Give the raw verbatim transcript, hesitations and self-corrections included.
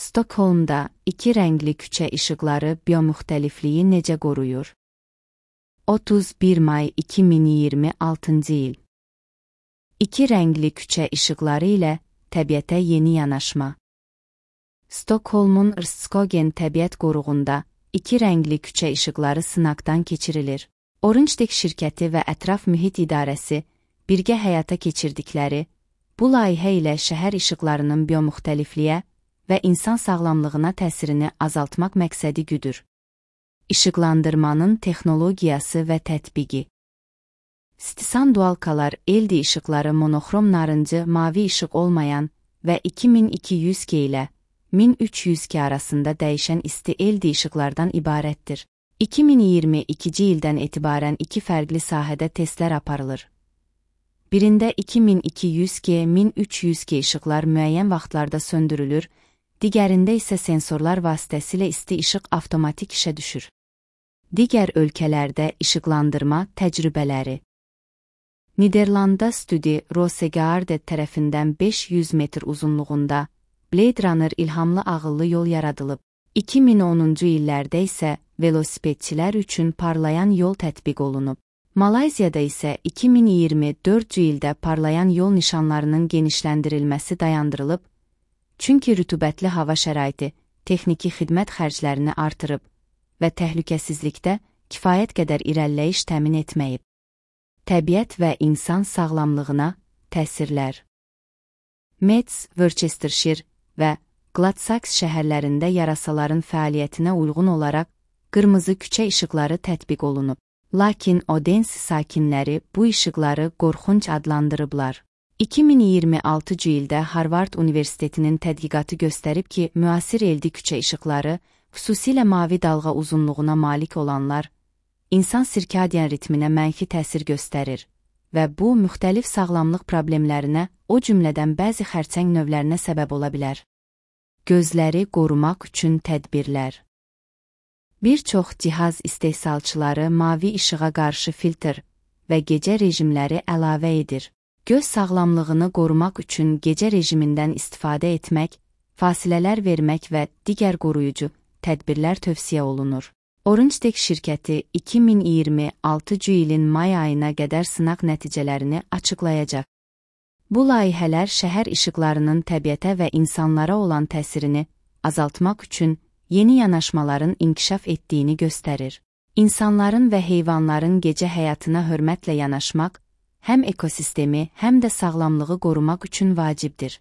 Stokholmda iki rəngli küçə işıqları biomüxtəlifliyi necə qoruyur? otuz bir may iki min iyirmi altıncı il. İki rəngli küçə işıqları ilə təbiətə yeni yanaşma. Stokholmun Rstskogen təbiət qoruğunda iki rəngli küçə işıqları sınaqdan keçirilir. Orangetek şirkəti və Ətraf Mühit İdarəsi birgə həyata keçirdikləri bu layihə ilə şəhər işıqlarının biomüxtəlifliyə və insan sağlamlığına təsirini azaltmaq məqsədi güdür. İşıqlandırmanın texnologiyası və tətbiqi. Stisan dualkalar L E D işıqları monoxrom narıncı mavi işıq olmayan və iki min iki yüz K ilə min üç yüz K arasında dəyişən isti L E D işıqlardan ibarətdir. iki min iyirmi ikinci ildən etibarən iki fərqli sahədə testlər aparılır. Birində iki min iki yüz K, min üç yüz K işıqlar müəyyən vaxtlarda söndürülür, digərində isə sensorlar vasitəsilə isti işıq avtomatik işə düşür. Digər ölkələrdə işıqlandırma təcrübələri. Niderlanda Studi Rosegaarde tərəfindən beş yüz metr uzunluğunda Blade Runner ilhamlı ağıllı yol yaradılıb. iki min onuncu illərdə isə velosipedçilər üçün parlayan yol tətbiq olunub. Malayziyada isə iki min iyirmi dördüncü ildə parlayan yol nişanlarının genişləndirilməsi dayandırılıb, çünki rütubətli hava şəraiti texniki xidmət xərclərini artırıb və təhlükəsizlikdə kifayət qədər irəliləyiş təmin etməyib. Təbiət və insan sağlamlığına təsirlər. Metz, Worcestershire və Gladsax şəhərlərində yarasaların fəaliyyətinə uyğun olaraq qırmızı küçə işıqları tətbiq olunub. Lakin Odense sakinləri bu işıqları qorxunc adlandırıblar. iki min iyirmi altıncı ildə Harvard Universitetinin tədqiqatı göstərib ki, müasir L E D küçə işıqları, xüsusilə mavi dalğa uzunluğuna malik olanlar, insan sirkadian ritminə mənfi təsir göstərir və bu, müxtəlif sağlamlıq problemlərinə, o cümlədən bəzi xərçəng növlərinə səbəb ola bilər. Gözləri qorumaq üçün tədbirlər. Bir çox cihaz istehsalçıları mavi işığa qarşı filtr və gecə rejimləri əlavə edir. Göz sağlamlığını qorumaq üçün gecə rejimindən istifadə etmək, fasilələr vermək və digər qoruyucu tədbirlər tövsiyə olunur. Orangetek şirkəti iki min iyirmi altıncı ilin may ayına qədər sınaq nəticələrini açıqlayacaq. Bu layihələr şəhər işıqlarının təbiətə və insanlara olan təsirini azaltmaq üçün yeni yanaşmaların inkişaf etdiyini göstərir. İnsanların və heyvanların gecə həyatına hörmətlə yanaşmaq, həm ekosistemi, həm də sağlamlığı qorumaq üçün vacibdir.